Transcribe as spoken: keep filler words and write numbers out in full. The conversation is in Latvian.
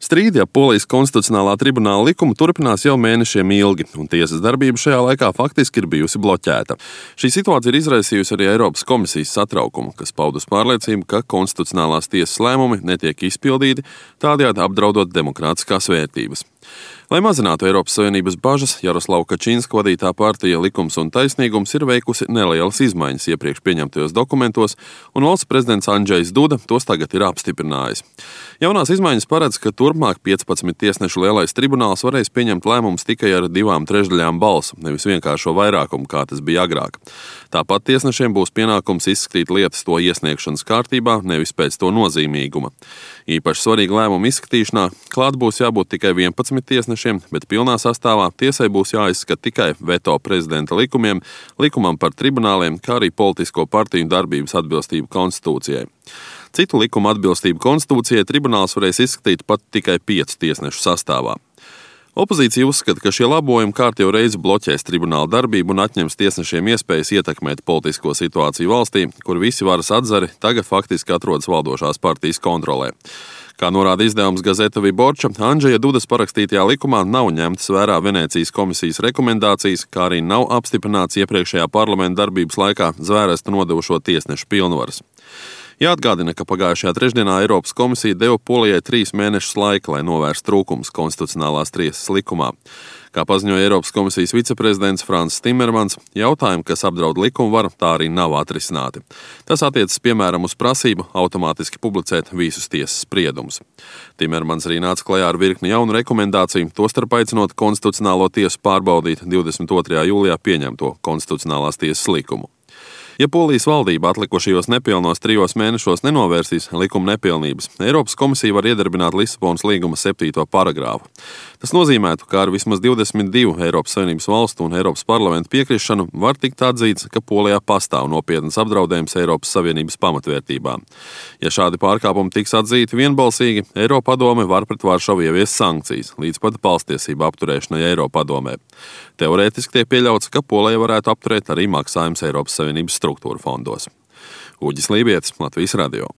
Strīdi ap Polijas konstitucionālā tribunāla likumu turpinās jau mēnešiem ilgi, un tiesas darbība šajā laikā faktiski ir bijusi bloķēta. Šī situācija ir izraisījusi arī Eiropas komisijas satraukumu, kas paudus pārliecību, ka konstitucionālās tiesas lēmumi netiek izpildīti, tādējādi apdraudot demokrātiskās vērtības. Lai mazinātu Eiropas Savienības bažas, Jaroslava Kačinska vadītā partija Likums un taisnīgums ir veikusi nelielas izmaiņas iepriekš pieņemtajos dokumentos, un valsts prezidents Andžejs Duda tos tagad ir apstiprinājis. Jaunās izmaiņas paredz, ka turpmāk piecpadsmit tiesnešu lielais tribunāls varēs pieņemt lēmumus tikai ar divām trešdaļām balsu, nevis vienkāršo vairākumu, kā tas bija agrāk. Tāpat tiesnešiem būs pienākums izskatīt lietas to iesniegšanas kārtībā, nevis pēc to nozīmīguma. Īpaši svarīga lēmuma izskatīšanā klāt būs jābūt tikai vienpadsmit tiesnešiem, bet pilnā sastāvā tiesai būs jāizskata tikai veto prezidenta likumiem, likumam par tribunāliem, kā arī politisko partiju darbības atbilstību konstitūcijai. Citu likumu atbilstību konstitūcijai tribunāls varēs izskatīt pat tikai piecu tiesnešu sastāvā. Opozīcija uzskata, ka šie labojumi kārtējo reizi bloķēs tribunāla darbību un atņems tiesnešiem iespējas ietekmēt politisko situāciju valstī, kur visi varas atzari tagad faktiski atrodas valdošās partijas kontrolē. Kā norāda izdevums Gazeta Viborča, Andžeja Dudas parakstītajā likumā nav ņemtas vērā Venēcijas komisijas rekomendācijas, kā arī nav apstiprināts iepriekšējā parlamenta darbības laikā zvērestu nodevušo tiesnešu pilnvaras. Jāatgādina, ka pagājušajā trešdienā Eiropas komisija deva Polijai trīs mēnešus laika, lai novērstu trūkumus konstitucionālās tiesas likumā. Kā paziņoja Eiropas komisijas viceprezidents Franss Timermans, jautājumi, kas apdraud likumvaru, tā arī nav atrisināti. Tas attiecas piemēram uz prasību automātiski publicēt visus tiesas spriedumus. Timermans arī nāca klajā ar virkni jaunu rekomendāciju, tostarp aicinot konstitucionālo tiesu pārbaudīt divdesmit otrajā jūlijā pieņemto konstitucionālās tiesas likumu. Ja Polijas valdība atlikušajos nepilnos trijos mēnešos nenovērsīs likuma nepilnības, Eiropas komisija var iedarbināt Lisabonas līguma septīto paragrāfu. Tas nozīmētu, ka ar vismaz divdesmit divu Eiropas Savienības valstu un Eiropas parlamentu piekrišanu var tikt atzīts, ka Polijā pastāv nopietnas apdraudējums Eiropas Savienības pamatvērtībām. Ja šādi pārkāpumi tiks atzīti vienbalsīgi, Eiropadome var pret Varšavu ieviest sankcijas, līdz pat balstiesību apturēšanai Eiropadomē. Teorētiski tiek pieļauts, ka Polija varētu apturēt arī maksājumus Eiropas Savienības struktūra fondos. Uģis Lībietis, Latvijas radio.